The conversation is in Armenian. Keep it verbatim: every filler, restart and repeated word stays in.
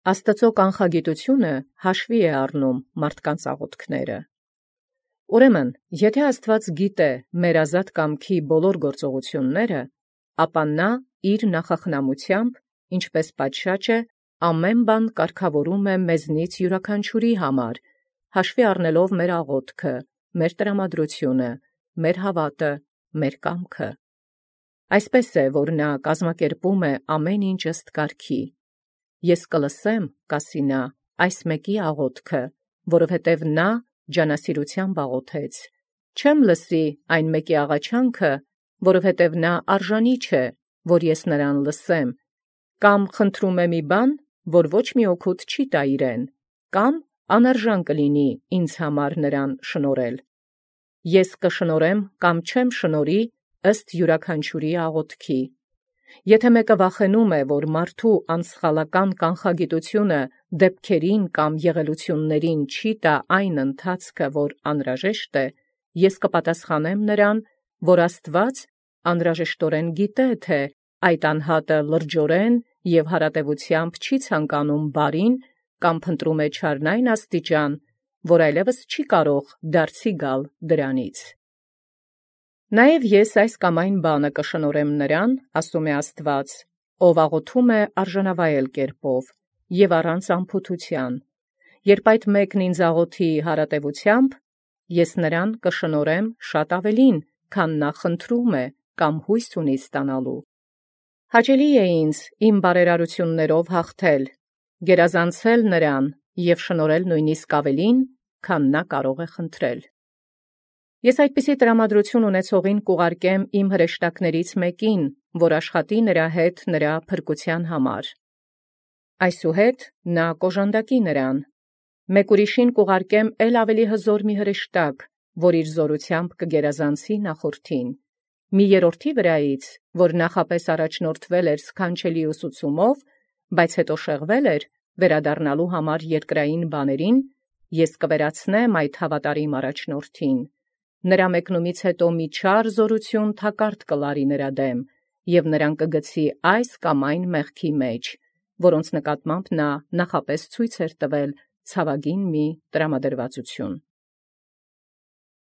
Աստուծոյ կանխագիտութիւնը հաշվի է առնում մարդկանց աղաւթքները։ Ուրեմն, եթէ Աստուած գիտէ մեր ազատ կամքի բոլոր գործողութիւնները, ապա նա իր նախախնամութեամբ, ինչպէս պատշաճ է, ամեն բան կարգաւորում է մեզնից յուրաքանչիւրի համար, հաշվի առնելով մեր աղոթքը, մեր տրամադրութիւնը, մեր հաւատը, մեր կամքը։ Այսպէս է, որ նա կազմակերպում է ամեն ինչ ըստ կարգի։ Ես կլսեմ, կասի նա, այս մեկի աղոթքը, որովհետև նա ջանասիրութեամբ աղոթեց. չեմ լսի այն մեկի աղաչանքը, որովհետև նա արժանի չէ, որ ես նրան լսեմ, կամ խնդրում է մի բան, որ ոչ մի օգուտ չի տա իրեն, կամ անարժան կլինի ինձ համար նրան շնորհել։ Ես կշնորհեմ կամ չեմ շնորհի ըստ յուրաքանչյուրի աղոթքի։ Եթե մեկը վախենում է, որ մարդու անսխալական կանխագիտութիւնը դեպքերին կամ եղելութիւններին չի տա այն ընթացքը, որ անհրաժեշտ է, ես կպատասխանեմ նրան, որ Աստուած անհրաժեշտորեն գիտե, թէ այդ անհատը լրջորեն և հարատևութեամբ չի ցանկանում բարին կամ փնտրում է չարնային աստիճան, որ այլևս չի կարող դարձի գալ դրանից։ Նաև ես այս կամ այն բանը կշնորհեմ նրան, ասում է Աստուած, ով աղոթում է արժանավայել կերպով և առանց անփութութեան. երբ այդ մեկն ինձ աղոթի հարատևութեամբ, ես նրան կշնորհեմ շատ ավելին, քան նա խնդրում է կամ հույս ունի ստանալու։ Հաճելի է ինձ իմ բարերարութիւններով հաղթել, գերազանցել նրան և շնորհել նույնիսկ ավելին, քան նա կարող է խնդրել։ Ես այդպիսի տրամադրութիւն ունեցողին կուղարկեմ իմ հրեշտակներից մեկին, որ աշխատի նրա հետ նրա փրկութեան համար։ Այսուհետ նա կօժանդակի նրան։ Մեկ ուրիշին կուղարկեմ ել ավելի հզոր մի հրեշտակ, որ իր զօրութեամբ կգերազանցի նախորդին։ Մի երրորդի վրայից, որ նախապես առաջնորդվել էր սքանչելի ուսուցումով, բայց հետո շեղվել էր, վերադառնալու համար երկրային բաներին, ես կվերացնեմ այդ հավատարիմ առաջնորդին։ Նրա մեկնումից հետո մի չար զօրութիւն թակարդ կլարի նրա դեմ, և նրան կգցի այս կամ այն մեղքի մեջ, որոնց նկատմամբ նա նախապես ցույց էր տվել ցավագին մի տրամադրվածություն։